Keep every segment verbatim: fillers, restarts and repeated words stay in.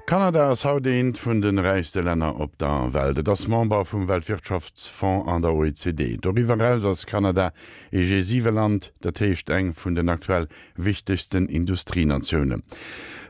Kanada ass haut eent vun de räichste Länner op der Welt. Et ass Member vum Weltwirtschaftsfonds an der O E C D. Doriwwer eraus ass Kanada ee G siwe Land, dat heescht eng vun den aktuell wichtegsten Industrienatiounen.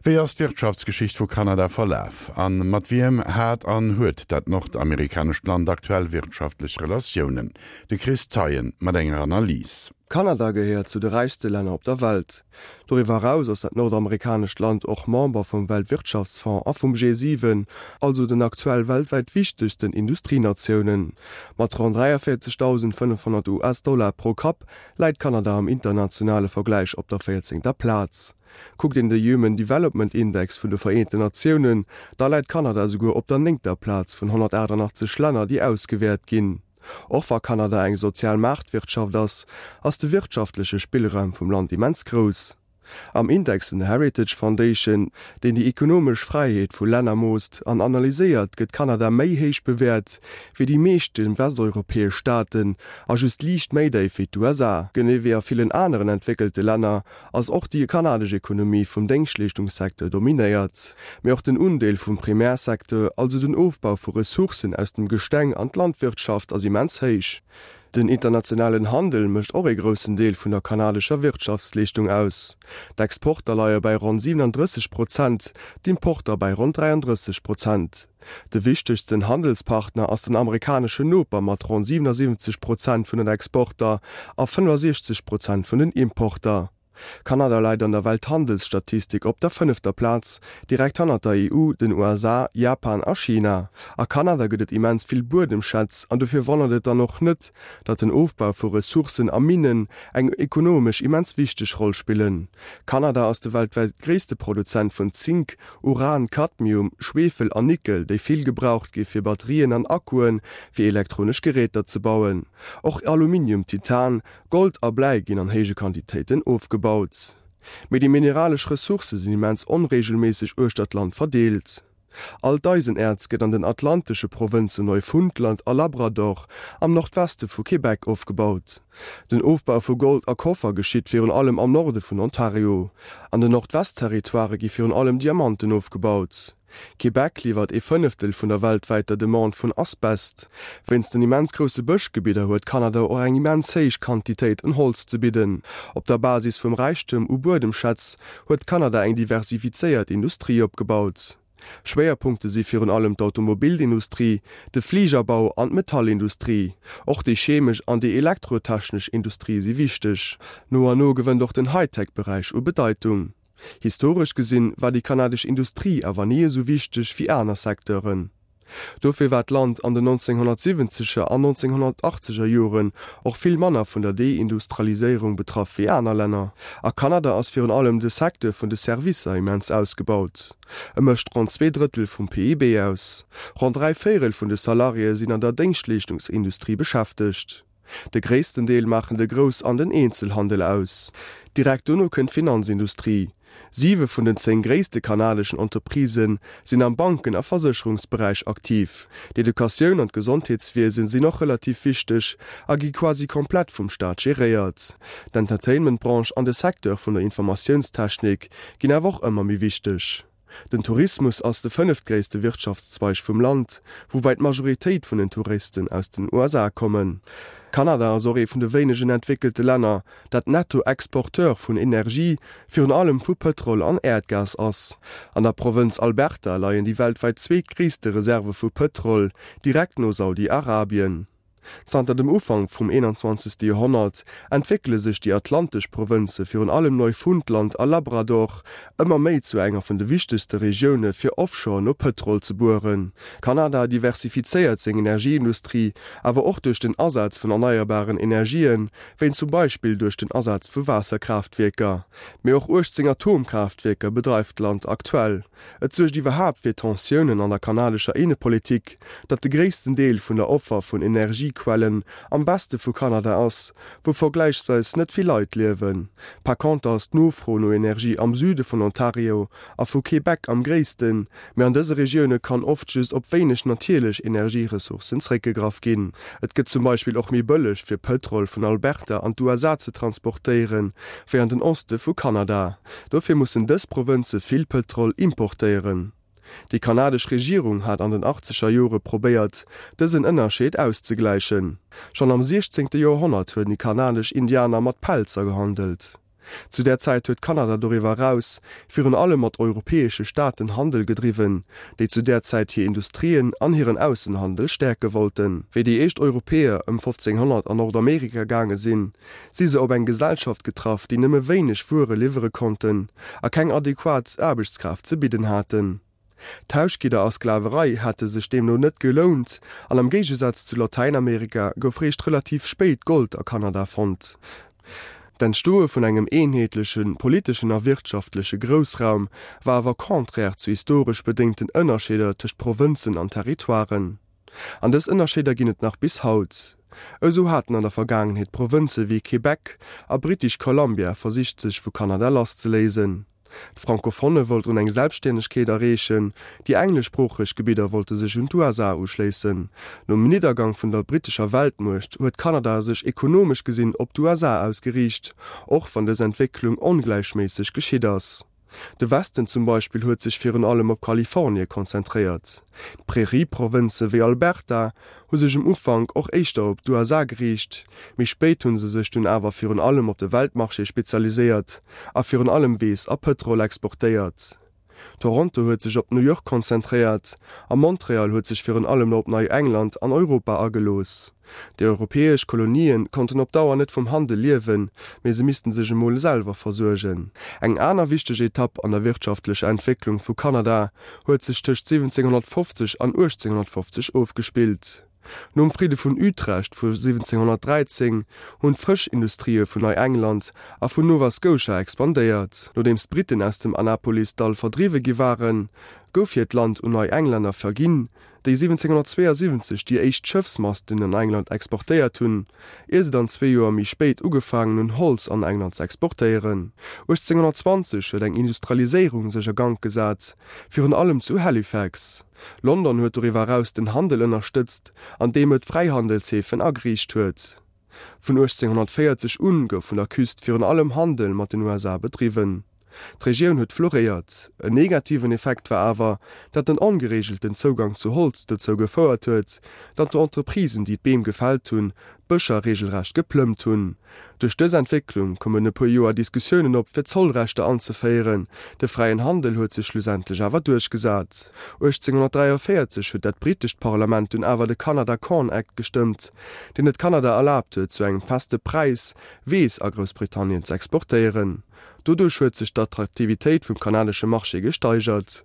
Wéi ass d'Wirtschaftsgeschicht vu Kanada verlaf? A mat wiem hat an huet dat nordamerikanescht Land aktuell wirtschaftlech Relatiounen? De Chris Zeien mat enger Analys. Kanada gehéiert zu de räichste Länner op der Welt. Doriwwer eraus ass dat nordamerikanescht Land och Member vum Weltwirtschaftsfonds a vum G siwen, also den aktuell weltwäit wichtegsten Industrienatiounen. Mat ronn dräiavéierzegdausendfënnefhonnert U S-Dollar pro Kapp läit Kanada am internationale Vergläich op der véierzéngter Plaz. Kuckt een de Human Development Index vun de Vereenten Natiounen, da läit Kanada souguer op der néngter Plaz vun honnertaachtanachtzeg Länner, déi ausgewäert ginn. Och wa Kanada eng sozial Maartwirtschaft ass, ass de wirtschaftleche Spillraum vum Land immens grouss. Am Index vun der Heritage Foundation, deen déi ekonomesch Fräiheet vu Länner moosst an analyséiert, gëtt Kanada méi héich bewäert wéi déi meeschte westeuropäesch Staaten a just liicht méi déif wéi d'U S A. Genee wéi a villen aneren entwéckelte Länner ass och déi kanadesch Ekonomie vum Déngschtleeschtungssecteur dominéiert. Mee och den Undeel vum Primärsecteur, also den Ofbau vu Ressourcen aus dem Gesteng an d'Landwirtschaft ass immens héich. Den internationalen Handel mécht och e groussen Deel vun der kanadescher Wirtschaftsleeschtung aus. D'Exporter leie bei ronn siwenendrësseg Prozent, d'Importer bei ronn dräiandrësseg Prozent. De wichtegsten Handelspartner ass den amerikaneschen Noper mat ronn siwenasiwwenzeg Prozent vun den Exporter a fënnefasiechzeg Prozent vun den Importer. Kanada läit an der Welthandelsstatistik op der fënnefter Plaz, direkt hannert der E U, den U S A, Japan a China. A Kanada gëtt et immens vill Buedemschätz an dofir wonnert et dann och net, datt den Ofbau vu Ressourcen a Minnen eng ekonomesch immens wichteg Roll spillen. Kanada ass de weltwäit gréisste Produzent vun Zink, Uran, Kadmium, Schwiefel an Nickel, déi vill gebraucht gi fir Batterien an Akkuen fir elektronesch Geräter ze bauen. Och Aluminium, Titan, Gold a Bläi ginn an héije Quantitéiten ofgebaut. Mee déi mineralesch Ressourcë sinn immens onreegelméisseg uechter d'Land verdeelt. All d'Eisenäerz gëtt an den atlantesche Provënzen Neufundland a Labrador am Nordweste vu Québec ofgebaut. Den Ofbau vu Gold a Koffer geschitt virun allem am Norde vun Ontario. An den Nordwest-Territoirë gi virun allem Diamanten ofgebaut. Québec liwwert ee Fënneftel vun der weltwäiter Demande vun Asbest. Wéinst den immens grousse Bëschgebidder huet Kanada och eng immens héich Quantitéit un Holz ze bidden. Op der Basis vum Räichtum u Buedemschätz huet Kanada eng diversifizéiert Industrie opgebaut. Schwéierpunkte si virun allem d'Automobilindustrie, de Fligerbau an d'Metallindustrie. Och déi chemesch an déi elektrotechnesch Industrie si wichteg. No an no gewënnt och den Hightech-Beräich u Bedeitung. Historesch gesinn war déi kanadesch Industrie awer ni esou wichteg wéi aner Secteuren. Dofir war d'Land an den nonzénghonnertsiwwenzeger an nonzénghonnertaachtzeger Joren och vill manner vun der Deindustrialiséierung betraff wéi aner Länner. A Kanada ass virun allem de Secteur vun de Servicer immens ausgebaut. E mécht ronn zwee Drëttel vum P I B aus. Ronn dräi Véierel vun de Salariéë sinn an der Déngschtleeschtungsindustrie beschäftegt. De gréissten Deel maachen de Grouss an den Eenzelhandel aus. Direkt dono kënnt d'Finanzindustrie. Siwe vun den zéng gréisste kanadeschen Entreprisë sinn am Banken a Versécherungsberäich aktiv. D'Educatioun an d'Gesondheetswiesen sinn och relativ wichteg a gi quasi komplett vum Staat geréiert. D'Entertainment-Branche an de Secteur vun der Informatiounstechnik ginn awer och ëmmer méi wichteg. Den Tourismus ass de fënneftgréisste Wirtschaftszweig vum Land, woubäi d'Majoritéit vun den Touristen aus den U S A kommen. Kanada ass och ee vun de wéinegen entwéckelte Länner, dat Nettoexporteur vun Energie, virun allem vu Pëtrol an Äerdgas ass. An der Provënz Alberta leien déi weltwäit zweetgréisste Reserve vu Pëtrol, direkt no Saudi-Arabien. Zanter dem Ufank vum eenanzwanzegste Joerhonnert entwéckele sech déi atlantesch Provënze, virun allem Neufundland a Labrador, ëmmer méi zu enger vun de wichtegste Regioune fir offshore no Pëtrol ze bueren. Kanada diversifizéiert seng Energieindustrie awer och duerch den Asaz vun erneierbaren Energien, wéi zum Beispill duerch den Asaz vu Waasserkraaftwierker. Mee och uechtzéng Atomkraaftwierker bedreift d'Land aktuell. Et suergt iwwerhaapt fir Tensiounen an der kanadescher Innepolitik, datt de gréissten Deel vun der Offer vun Energiequellen am Weste vu Kanada ass, wou vergläichsweis net vill Leit liewen. Par conter ass d'Nofro no Energie am Süde vun Ontario a vu Québec am gréissten, mee an dëse Regioune kann oft just op wéineg natierlech Energieressourcen zeréckgegraff ginn. Et gëtt zum Beispill och méi bëlleg fir Pëtrol vun Alberta an d'U S A ze transportéieren, wéi an den Oste vu Kanada. Dofir mussen dës Provënze vill Pëtrol importéieren. Déi kanadesch Regierung hat an den achtzeger Jore probéiert, dësen Ënnerscheed auszegläichen. Schonn am siechzéngte Joerhonnert hunn déi kanadesch Indianer mat Pelzer gehandelt. Zu där Zäit huet Kanada doriwwer eraus virun allem mat europäesche Staaten Handel gedriwwen, déi zu där Zäit hir Industrien an hiren Aussenhandel stäerke wollten. Wéi déi éischt Europäer ëm fofzénghonnert an Nordamerika gaange sinn, si se op eng Gesellschaft getraff, déi nëmme wéineg Wuere liwwere konnten a keng adequat Aarbechtskraaft ze bidden haten. Tauschgidder a Sklaverei hätte sech deemno net gelount an am Géigesaz zu Latäinamerika gouf réischt relativ spéit Gold a Kanada fonnt. D'Entstoe vun engem eenheetleche politeschen a wirtschaftleche Groussraum war awer contraire zu historesch bedéngten Ënnerscheeder tëscht Provënzen an Territoiren. An dës Ënnerscheeder ginn et nach bis haut. Esou haten an der Vergaangenheet Provënze wéi Québec a British Columbia versicht sech vu Kanada lasszeléisen. D'Francophone wollten eng Selbststännegkeet erreechen, déi engleschsproocheg Gebidder wollte sech un d'USA uschléissen. Nom Niddergang vun der brittescher Weltmuecht huet Kanada sech ekonomesch gesinn op d'USA ausgeriicht, och wann dës Entwécklung ongläichméisseg geschitt ass. De Westen zum Beispill huet sech virun allem op Kalifornie konzentréiert. D'Prärie-Provënze wéi Alberta hu sech um Ufank och éischter op d'USA geriicht, méi spéit hu se sech dunn awer virun allem op de Weltmarché spezialiséiert a virun allem Weess a Pëtrol exportéiert. Toronto huet sech op New York konzentréiert a Montreal huet sech virun allem op Neiengland an Europa agelooss. Déi europäesch Kolonien konnten op Dauer net vum Handel liewen, mee se missten sech emol selwer versuergen. Eng aner wichteg Etapp an der wirtschaftlecher Entwécklung vu Kanada huet sech tëscht siwwenzénghonnertfofzeg an uechtzénghonnertfofzeg ofgespillt. Nom Fridde vun Utrecht vu siwwenzénghonnertdräizéng hunn d'Frëschindustrië vun Neiengland a vun Nova Scotia expandéiert. Nodeems d'Britten aus dem Annapolis-Dall verdriwwe gi waren, gouf hiert Land un Neienglänner verginn, déi siwwenzénghonnertzweeasiwwenzeg déi éischt Schëffsmasten an England exportéiert hunn, ier se dann zwee Joer méi spéit ugefaangen hunn, Holz an England ze exportéieren. uechtzénghonnertzwanzeg huet eng Industrialiséierung sech a Gank gesat, virun allem zu Halifax. London huet doriwwer eraus den Handel ënnerstëtzt, andeem et Fräihandelshäfen ageriicht huet. Vun uechtzénghonnertvéierzeg un gouf vun der Küst virun allem Handel mat den U S A bedriwwen. D'Regioun huet floréiert. En negativen Effekt war awer, datt den ongereegelten Zougang zu Holz dozou gefouert huet, datt d'Entreprisen, déi d'Beem gefält hunn, d'Bëscher reegelrecht geplëmmt hunn. Duerch dës Entwécklung koumen e puer Joer Diskussiounen op, fir Zollrechter anzeféieren. De fräien Handel huet sech schlussendlech awer duerchgesat. uechtzénghonnertdräiavéierzeg huet dat brittescht Parlament dunn awer de Canada Corn Act gestëmmt, deen et Kanada erlaabt huet, zu engem feste Präis Weess a Groussbritannien z'exportéieren. Doduerch huet sech d'Attraktivitéit vum kanadesche Marché gesteigert.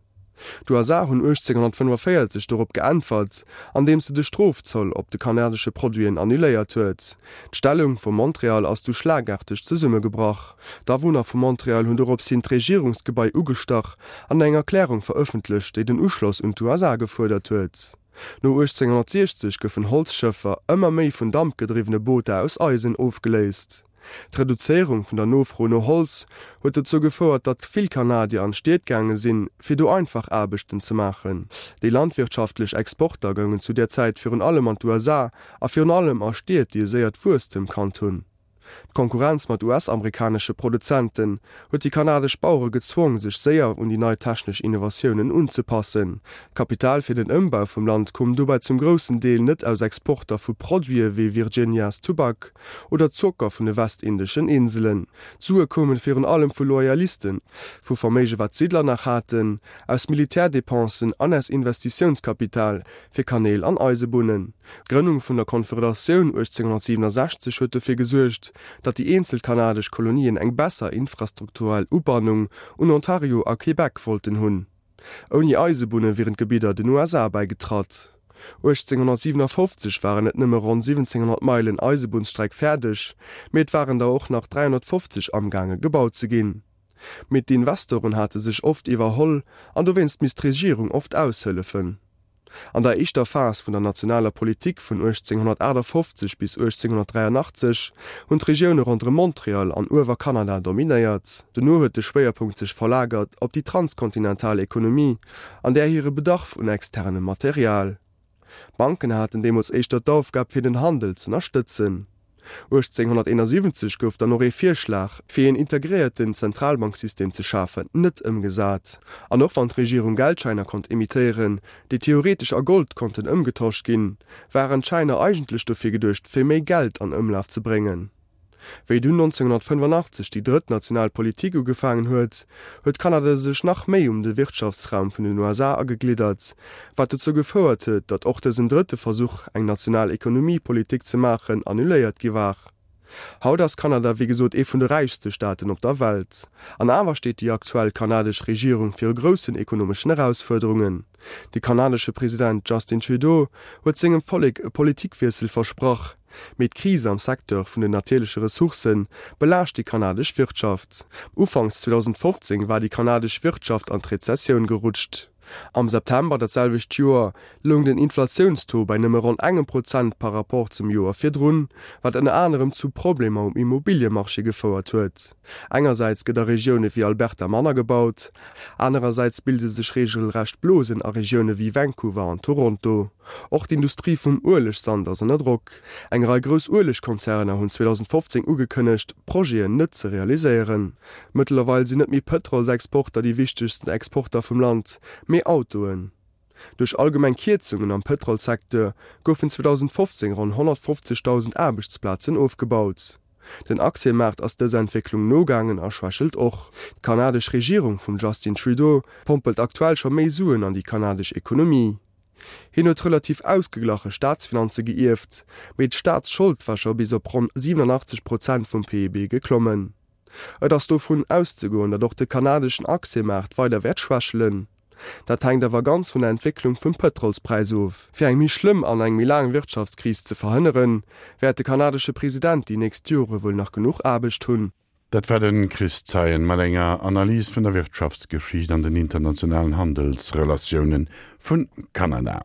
D'U S A hunn uechtzénghonnertfënnefavéierzeg dorop geäntwert, andeems se de Strofzoll op de kanadesche Produiten annuléiert huet. D'Stellung vu Montreal ass du schlagaarteg zesummegebrach. D'Awunner vu Montreal hunn dorops hin d'Regierungsgebai ugestach an eng Erklärung verëffentlecht, déi den Uschloss un d'U S A gefuerdert huet. No uechtzénghonnertsiechzeg goufen Holzschëffer ëmmer méi vun dampgedriwwene Booter aus Eisen ofgeléist. D'Reduzéierung vun der Nofro no Holz huet dozou gefouert, datt vill Kanadier an d'Stied gaange sinn, fir do einfach Aarbechten ze maachen. Déi landwirtschaftlech Exporter goungen zu där Zäit virun allem an d'U S A a virun allem a Stied, déi e séiert Wuesstem kannt hunn. D'Konkurrenz mat U S-amerikanesche Produzenten huet déi kanadesch Bauere gezwong, sech séier un déi nei technesch Innovatiounen unzepassen. D'Kapital fir den Ëmbau vum Land koum dobäi zum groussen Deel net aus Exporter vu Produite wéi Virginias Tubak oder Zocker vun de Westindeschen Inselen. D'Sue koume virun allem vu Loyalisten, vu Verméige wat d'Siddler nach haten, aus Militärdepensen an aus Investitiounskapital fir Kanäl an Eisebunnen. D'Grënnung vun der Konföderatioun uechtzénghonnertsiwwenasechzeg huet dofir gesuergt, datt déi eenzel kanadesch Kolonien eng besser infrastrukturell Ubannung un Ontario a Québec wollten hunn. Ouni Eisebunne wieren d'Gebidder den U S A bäigetratt. uechtzénghonnertsiwenafofzeg waren net nëmme ronn siwwenzénghonnert Meilen Eisebunnsstreck fäerdeg, mee et waren der och nach dräihonnertfofzeg amgaange gebaut ze ginn. Mee d'Investoren hate sech oft iwwerholl an dowéinst misst d'Regierung oft aushëllefen. An der éischter Phas vun der nationaler Politik vun uechtzénghonnertaachtafoffzeg bis uechtzénghonnertdräianachtzeg hunn d'Regioune ronderëm Montreal an Uewerkanada dominéiert. Dono huet de Schwéierpunkt sech verlagert op déi transkontinental Ekonomie an där hire Bedarf un externem Material. D'Banken haten deemools éischter d'Aufgab fir den Handel z'ënnerstëtzen. uechtzénghonnerteenasiwwenzeg gouf dann och ee Virschlag, fir een integréierten Zentralbanksystem ze schafen, net ëmgesat. An och wann d'Regierung Geldschäiner konnt emittéieren, déi theoretesch a Gold konnten ëmgetosch ginn, waren d'Schäiner eigentlech dofir geduecht, fir méi Geld an Ëmlaf ze bréngen. Wéi dunn nonzénghonnertfënnefanachtzeg déi drëtt national Politik ugefaangen huet, huet Kanada sech nach méi um de Wirtschaftsraum vun den U S A agegliddert, wat dozou gefouert huet, datt och dësen drëtte Versuch, eng national Ekonomiepolitik ze maachen, annuléiert gi war. Haut ass Kanada wéi gesot ee vun de räichste Staaten op der Welt. An awer steet déi aktuell kanadesch Regierung viru groussen ekonomeschen Erausfuerderungen. De kanadesche President Justin Trudeau huet sengem Vollek e Politikwiessel versprach, mee d'Kris am Secteur vun den natierleche Ressourcë belaascht déi kanadesch Wirtschaft. Ufanks zweedausendfofzéng war déi kanadesch Wirtschaft an d'Rezessioun gerutscht. Am September dat selwecht Joer loung den Inflatiounstaux bei nëmme ronn engem Prozent par Rapport zum Joer virdrun, wat ënner anerem zu Problemer um Immobiliemarché gefouert huet. Engersäits gëtt a Regioune wéi Alberta manner gebaut, anerersäits bilde sech reegelrecht Blosen a Regioune wéi Vancouver an Toronto. Och d'Industrie vum Uelegsand ass ënner Drock. Eng Rei grouss Uelegkonzerner hunn zweedausendfofzéng ugekënnegt, Projeten net ze realiséieren. Mëttlerweil sinn net méi Pëtrolsexporter déi wichtegsten Exporter vum Land, mee Autoen. Duerch allgemeng Kierzungen am Pëtrolssecteur goufen zweedausendfofzéng ronn honnertfofzegdausend Aarbechtsplazen ofgebaut. Den Aktiemaart ass dëser Entwécklung nogaangen a schwächelt och. D'kanadesch Regierung vum Justin Trudeau pompelt aktuell scho méi Suen an déi kanadesch Ekonomie. Hien huet relativ ausgeglache Staatsfinanze geierft, mee d'Staatsschold war scho bis op ronn siwenanachtzeg Prozent vum P I B geklommen. Et ass dovun auszegoen, datt och de kanadeschen Aktiemaart weider wäert schwächelen. Dat hänkt awer ganz vun der Entwécklung vum Pëtrolspräis of. Fir eng méi schlëmm an eng méi laang Wirtschaftskris ze verhënneren, wäert de kanadesche President déi nächst Jore wuel nach genuch Aarbecht hunn. Dat war de Chris Zeien mat enger Analys vun der Wirtschaftsgeschicht an den internationalen Handelsrelatioune vu Kanada.